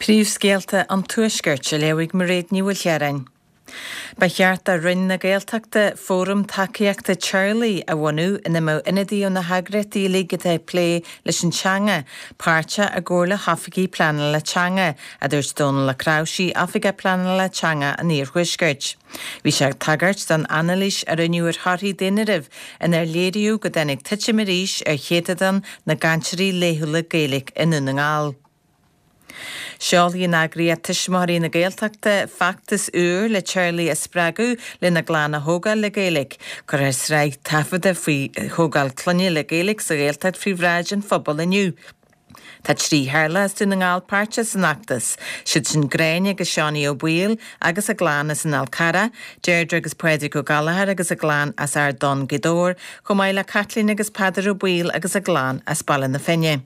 Príomhscéalta an Tuaiscirt á léamh ag Mairéad Ní Mhaoilchiaráin. Ba cheart do Roinn na Gaeltachta fóram tacaíochta teaghlaigh a bhunú ina mbeadh ionadaithe ó na heagraíochtaí uilig atá ag plé leis an teanga páirteach i gcomhar le hoifigigh pleanála teanga, a dúirt Dónal Ó Cnáimhsí, Oifigeach Pleanála Teanga an Iarthuaiscirt. Bhí sé ag tagairt don anailís a rinneadh ar thorthaí daonáirimh inar léiríodh go dtáinig titim arís ar chéatadán na gcainteoirí laethúla Gaeilge i nDún na nGall. Seolfaidh an eagraíocht Tuismitheoirí na Gaeltachta feachtas úr le teaghlaigh a spreagadh lena gclann a thógáil le Gaeilge. Cuirfear sraith taifeadta faoi thógáil clainne le Gaeilge sa Ghaeltacht faoi bhráid an phobail inniu. Tá 3 theaghlach as Dún na nGall páirteach san fheachtas, siad sin Gráinne agus Seánie Ó Baoill agus a gclann as an Fhál Carrach, Deirdre agus Pádraig Ó Gallchóir agus a gclann as Ard Donn, Gaoth Dobhair, chomh maith le Caitlín agus Peadar Ó Baoill agus a gclann as Baile na Finne.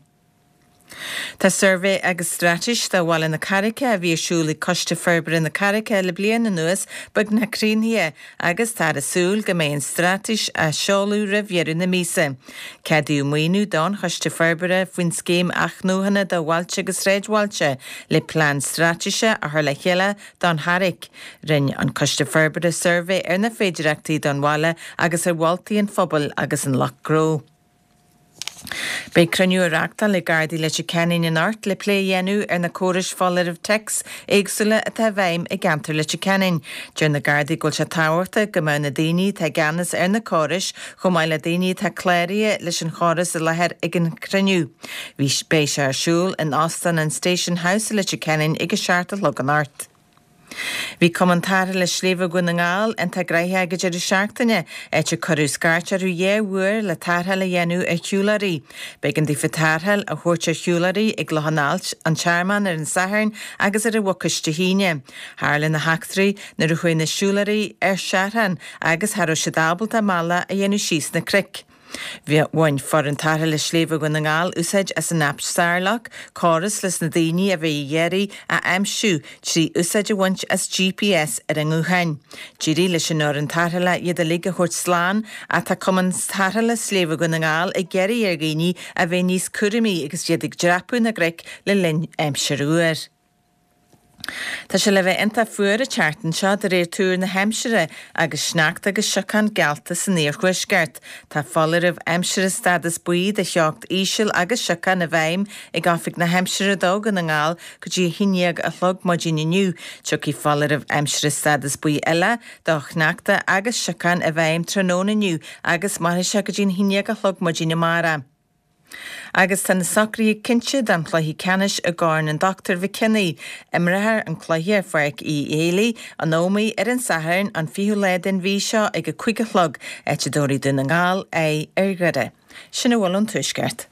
Tá suirbhé agus straitéis do Bhaile na Carraice a bhí ar siúl ag Coiste Forbartha na Carraice le bliain anuas beagnach críochnaithe agus táthar ag súil go mbeidh an straitéis á seoladh roimh dheireadh na míosa. Ceadaíodh maoiniú don Choiste Forbartha faoin Scéim Athnuachana do Bhailte agus Sráidbhailte le plean straitéise a chur le chéile don Charraic. Rinne an Coiste Forbartha suirbhé ar na féidireachtaí don bhaile agus ar mholtaí an phobail agus an lucht gnó. Beidh cruinniú á reachtáil ag Gardaí Leitir Ceanainn anocht le plé a dhéanamh ar na córais foláirimh téacs éagsúla atá i bhfeidhm i gceantar Leitir Ceanainn. Deir na Gardaí go bhfuil sé tábhachtach go mbeadh na daoine atá i gceannas ar na córais chomh maith le daoine atá cláraithe leis an chóras i láthair ag an chruinniú. Beidh sé ar siúl in Óstán an Station House i Leitir Ceanainn ag a 7 a chlog anocht. Bhí Cumann Tarrthála Sléibhe Dhún na nGall iontach gnoitheach ag an deireadh seachtaine, áit a cuireadh scairt orthu dhá uair le tarrtháil a dhéanamh ar shiúlóirí. B'éigean daofa tarrtháil a thabhairt ar shiúlóirí i gClochán Ailt, An Tearmann ar an Satharn agus ar an Mhucais Dé hAoine. Tharla na heachtraí nuair a chuaigh na siúlóirí ar seachrán agus cha raibh siad ábalta a mbealach a dhéanamh síos na cnoic. Bhain foireann tarrthála sléibhe Dhún na nGall úsáid as an aip Starlock, córas leis na daoine a bheidh á n-iarraidh a aimsiú trí úsáid a bhaint as GPS ar a ngutháin. D'éirigh leis an fhoireann tarrthála iad uilig a thabhairt slán ach tá Cumann Tarrthála Sléibhe Dhún na nGall ag iarraidh ar dhaoine a bheith níos cúramaí agus iad ag dreapadh na gcnoic le linn aimsir fhuar. Tá sé le bheith iontach fuar an tseachtain seo de réir tuar na haimsire agus sneachta agus siocán geallta san iarthuaisceart. Tá foláireamh aimsire stádas buí de theocht íseal agus siocán i bhfeidhm ag Oifig na hAimsire do Dhún na nGall go dtí 11 a chlog maidin inniu. Tiocfaidh foláireamh aimsire stádas buí eile do shneachta agus siocán i bhfeidhm tráthnóna inniu agus mairfidh sé go dtí 11 a chlog maidin amárach. Agus tá na socruithe cinnte don chluiche ceannais i gCorn an Dr McKinney. Imreofar an cluiche ar Pháirc Uí Éilí, an Ómaigh, ar an Satharn, an 20ú lá den mhí seo ag a 5 a chlog, áit a dtabharfaidh Dún na nGall aghaidh ar Dhoire. Sin a bhfuil ón Tuaisceart.